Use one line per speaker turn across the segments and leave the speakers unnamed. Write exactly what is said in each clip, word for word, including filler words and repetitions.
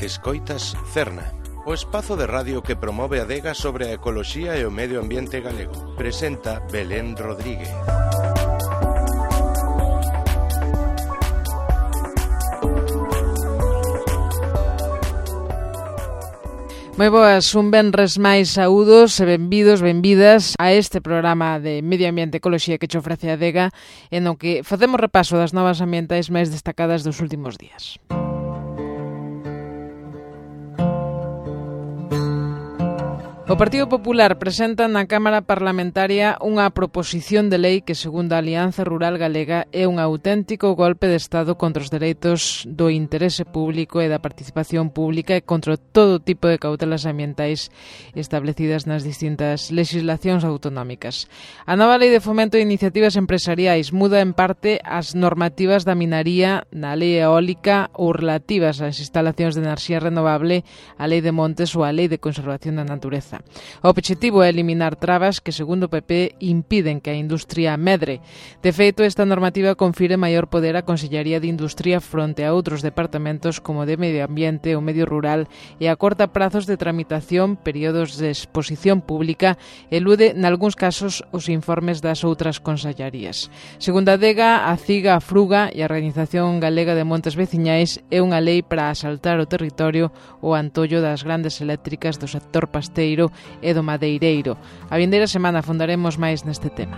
Escoitas Cerna, o espazo de radio que promove a adega sobre a ecoloxía e o medio ambiente galego. Presenta Belén Rodríguez.
Moi boas, un venres máis saúdos e benvidos, benvidas a este programa de Medio Ambiente e Ecoloxía que che ofrece a adega, en o que facemos repaso das novas ambientais máis destacadas dos últimos días. O Partido Popular presenta na Cámara Parlamentaria unha proposición de lei que, segundo a Alianza Rural Galega, é un auténtico golpe de Estado contra os dereitos do interese público e da participación pública e contra todo tipo de cautelas ambientais establecidas nas distintas legislacións autonómicas. A nova Lei de Fomento de Iniciativas Empresariais muda en parte as normativas da minaría na Lei Eólica ou relativas ás instalacións de enerxía renovable, a Lei de Montes ou a Lei de Conservación da Natureza. O obxectivo é eliminar trabas que, segundo o P P, impiden que a industria medre. De feito, esta normativa confire maior poder á Consellería de Industria fronte a outros departamentos como de Medio Ambiente ou Medio Rural e acorta prazos de tramitación, períodos de exposición pública e elude, nalgúns casos, os informes das outras consellerías. Segundo a DEGA, a CIGA, a FRUGA e a Organización Galega de Montes Veciñais é unha lei para asaltar o territorio ou antollo das grandes eléctricas do sector pasteiro e do madeireiro. A vindeira semana afondaremos máis neste tema.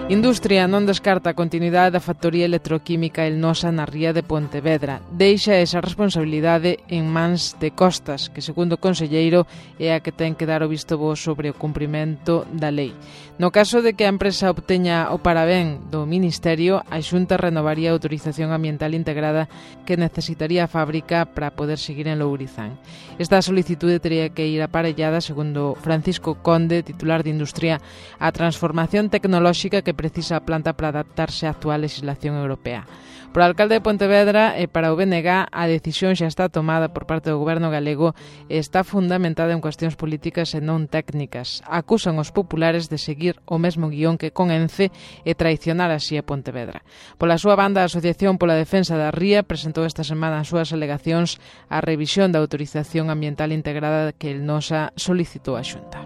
Industria non descarta a continuidade da factoría electroquímica Elnosa na ría de Pontevedra. Deixa esa responsabilidade en mans de Costas, que, segundo o conselleiro, é a que ten que dar o visto bo sobre o cumprimento da lei. No caso de que a empresa obteña o parabén do Ministerio, a Xunta renovaría a autorización ambiental integrada que necesitaría a fábrica para poder seguir en Lourizán. Esta solicitude teria que ir aparellada, segundo Francisco Conde, titular de Industria, a transformación tecnolóxica que precisa a planta para adaptarse á actual legislación europea. Por alcalde de Pontevedra e para o B N G, a decisión xa está tomada por parte do goberno galego e está fundamentada en cuestións políticas e non técnicas. Acusan os populares de seguir o mesmo guión que con Ence e traicionar así a Pontevedra. Pola súa banda, a Asociación pola Defensa da Ría presentou esta semana as súas alegacións á revisión da autorización ambiental integrada que Elnosa solicitou á Xunta.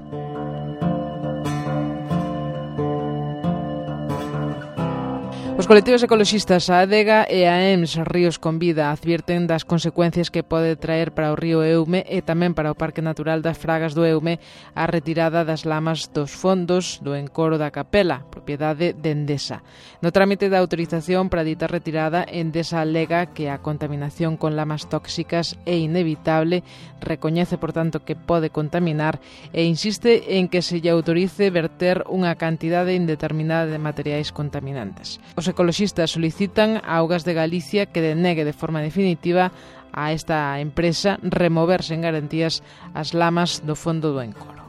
Os colectivos ecoloxistas, a ADEGA e a E M S Ríos con Vida advierten das consecuencias que pode traer para o río Eume e tamén para o Parque Natural das Fragas do Eume a retirada das lamas dos fondos do encoro da Capela, propiedade de Endesa. No trámite da autorización para dita retirada, Endesa alega que a contaminación con lamas tóxicas é inevitable, recoñece, por tanto, que pode contaminar e insiste en que se lle autorice verter unha cantidade indeterminada de materiais contaminantes. Os ecoloxistas solicitan a Augas de Galicia que denegue de forma definitiva a esta empresa removerse en garantías as lamas do fondo do encoro.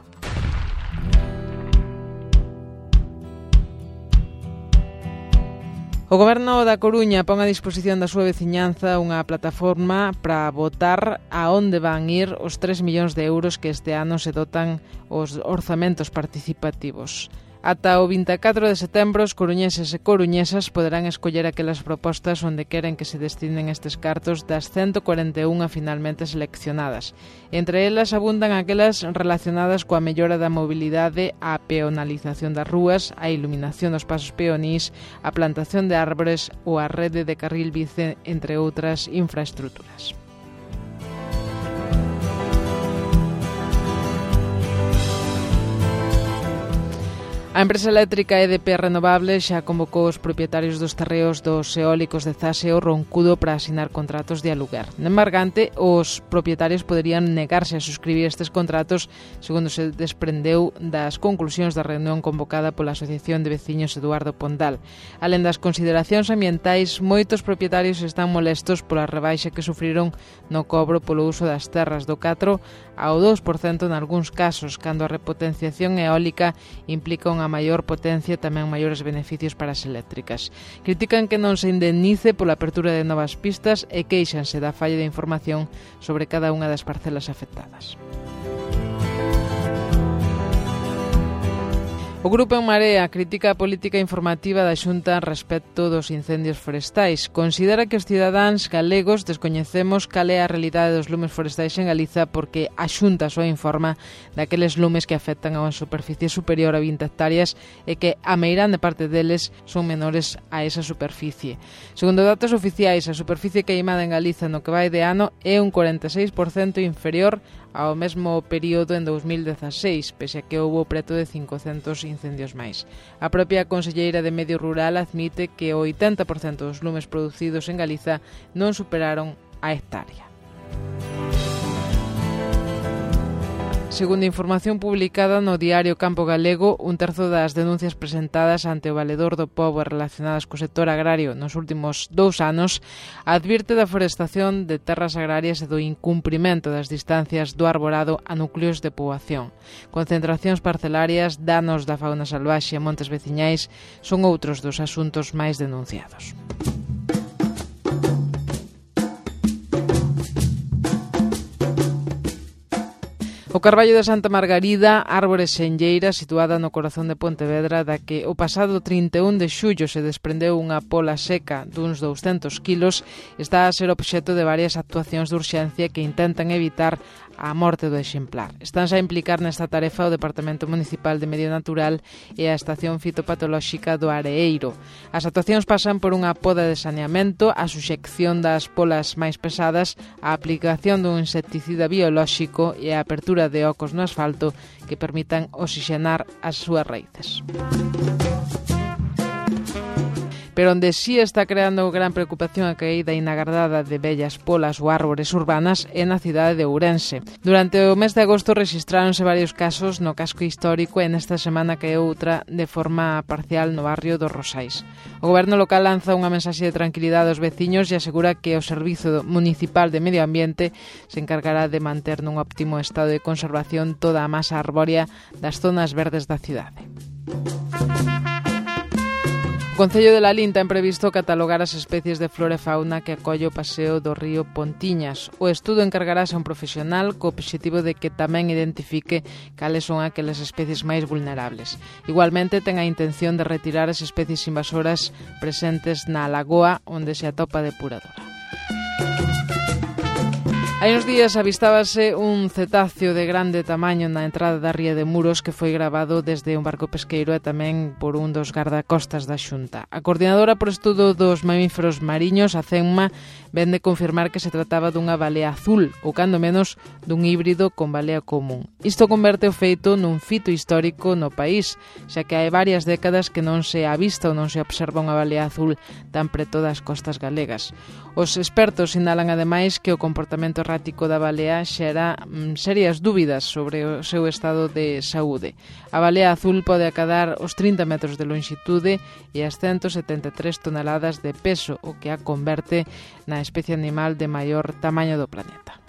O Goberno da Coruña pon a disposición da súa veciñanza unha plataforma para votar a onde van ir os tres millóns de euros que este ano se dotan os orzamentos participativos. Ata o vinte e catro de setembro, os coruñeses e coruñesas poderán escoller aquelas propostas onde queren que se destinen estes cartos das ciento cuarenta e unha finalmente seleccionadas. Entre elas abundan aquelas relacionadas coa mellora da mobilidade, a peonalización das rúas, a iluminación dos pasos peonís, a plantación de árbores ou a rede de carril bici, entre outras infraestruturas. A empresa eléctrica E D P Renovables xa convocou os propietarios dos terreos dos eólicos de Zase o Roncudo para asinar contratos de aluguer. No embargante, os propietarios poderían negarse a suscribir estes contratos, segundo se desprendeu das conclusións da reunión convocada pola Asociación de Veciños Eduardo Pondal. Alén das consideracións ambientais, moitos propietarios están molestos pola rebaixa que sufriron no cobro polo uso das terras do catro ao dous por cento nalgúns casos, cando a repotenciación eólica implica unha maior potencia e tamén maiores beneficios para as eléctricas. Critican que non se indemnice pola apertura de novas pistas e queixanse da falla de información sobre cada unha das parcelas afectadas. O Grupo En Marea critica a política informativa da Xunta respecto dos incendios forestais. Considera que os cidadáns galegos descoñecemos cal é a realidade dos lumes forestais en Galiza porque a Xunta só informa daqueles lumes que afectan a unha superficie superior a vinte hectáreas e que a meirande parte deles son menores a esa superficie. Segundo datos oficiais, a superficie queimada en Galiza no que vai de ano é un cuarenta e seis por cento inferior ao mesmo período en dous mil dezaseis, pese a que houbo preto de cincocentos incendios máis. A propia conselleira de Medio Rural admite que o oitenta por cento dos lumes producidos en Galiza non superaron a hectárea. Segundo información publicada no diario Campo Galego, un terzo das denuncias presentadas ante o Valedor do Pobo relacionadas co sector agrario nos últimos dous anos advirte da forestación de terras agrarias e do incumprimento das distancias do arborado a núcleos de poboación. Concentracións parcelarias, danos da fauna salvaxe e montes veciñais son outros dos asuntos máis denunciados. O Carballo de Santa Margarida, árbore senlleira situada no corazón de Pontevedra, da que o pasado trinta e un de xullo se desprendeu unha pola seca duns douscentos quilos, está a ser obxecto de varias actuacións de urxencia que intentan evitar a morte do exemplar. Estánse a implicar nesta tarefa o Departamento Municipal de Medio Natural e a Estación Fitopatolóxica do Areeiro. As actuacións pasan por unha poda de saneamento, a suxección das polas máis pesadas, a aplicación dun insecticida biolóxico e a apertura de ocos no asfalto que permitan oxigenar as súas raíces. Pero onde sí está creando gran preocupación a caída inagardada de vellas polas ou árbores urbanas é na cidade de Ourense. Durante o mes de agosto rexistráronse varios casos no casco histórico e nesta semana caeu outra de forma parcial no barrio dos Rosais. O goberno local lanza unha mensaxe de tranquilidade aos veciños e asegura que o Servizo Municipal de Medio Ambiente se encargará de manter nun óptimo estado de conservación toda a masa arbórea das zonas verdes da cidade. O Concello de Lalín ten previsto catalogar as especies de flora e fauna que acolle o paseo do río Pontiñas. O estudo encargarase a un profesional co obxectivo de que tamén identifique cales son aquelas especies máis vulnerables. Igualmente ten a intención de retirar as especies invasoras presentes na lagoa onde se atopa a depuradora. Hai uns días avistábase un cetáceo de grande tamaño na entrada da ría de Muros que foi grabado desde un barco pesqueiro e tamén por un dos gardacostas da Xunta. A coordinadora por estudo dos mamíferos mariños, a CEMMA, ven de confirmar que se trataba dunha balea azul, ou cando menos dun híbrido con balea común. Isto converte o feito nun fito histórico no país, xa que hai varias décadas que non se avista ou non se observa unha balea azul tan preto das costas galegas. Os expertos sinalan ademais que o comportamento errático da balea xera mm, serias dúbidas sobre o seu estado de saúde. A balea azul pode acadar os trinta metros de longitude e as ciento setenta e tres toneladas de peso, o que a converte na especie animal de maior tamaño do planeta.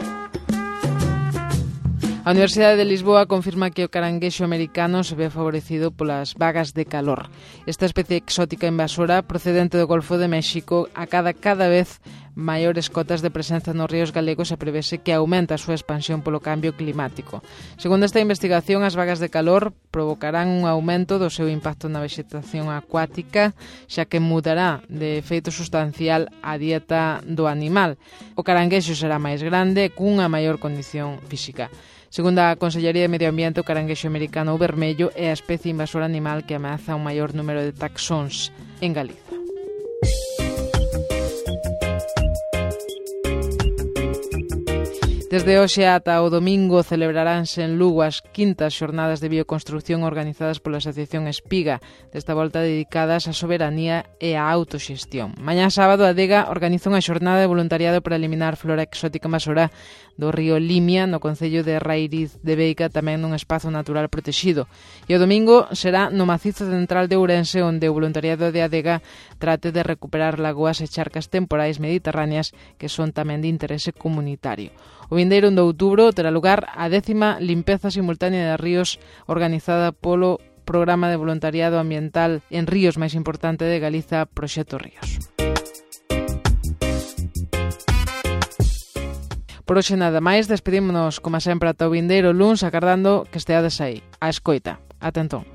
A Universidade de Lisboa confirma que o caranguexo americano se ve favorecido polas vagas de calor. Esta especie exótica invasora procedente do Golfo de México acada cada vez maiores cotas de presenza nos ríos galegos e prevese que aumenta a súa expansión polo cambio climático. Segundo esta investigación, as vagas de calor provocarán un aumento do seu impacto na vegetación acuática, xa que mudará de feito sustancial a dieta do animal. O caranguexo será máis grande cunha maior condición física. Segundo a Consellería de Medio Ambiente, o caranguexo americano ou vermello é a especie invasora animal que ameaza un maior número de taxóns en Galiza. Desde hoxe ata o domingo celebraránse en Lugo as quintas xornadas de bioconstrucción organizadas pola Asociación Espiga, desta volta dedicadas á soberanía e á autoxestión. Mañá sábado a Adega organiza unha xornada de voluntariado para eliminar flora exótica invasora do río Limia, no concello de Rairiz de Beica, tamén nun espazo natural protexido. E o domingo será no macizo central de Ourense, onde o voluntariado de Adega trate de recuperar lagoas e charcas temporais mediterráneas que son tamén de interese comunitario. O vindeiro un de outubro terá lugar a décima limpeza simultánea de ríos organizada polo Programa de Voluntariado Ambiental en Ríos máis importante de Galiza, Proxecto Ríos. Por hoxe nada máis, despedímonos como sempre ata o vindeiro luns, agardando que esteades aí, á escoita. Ata entón.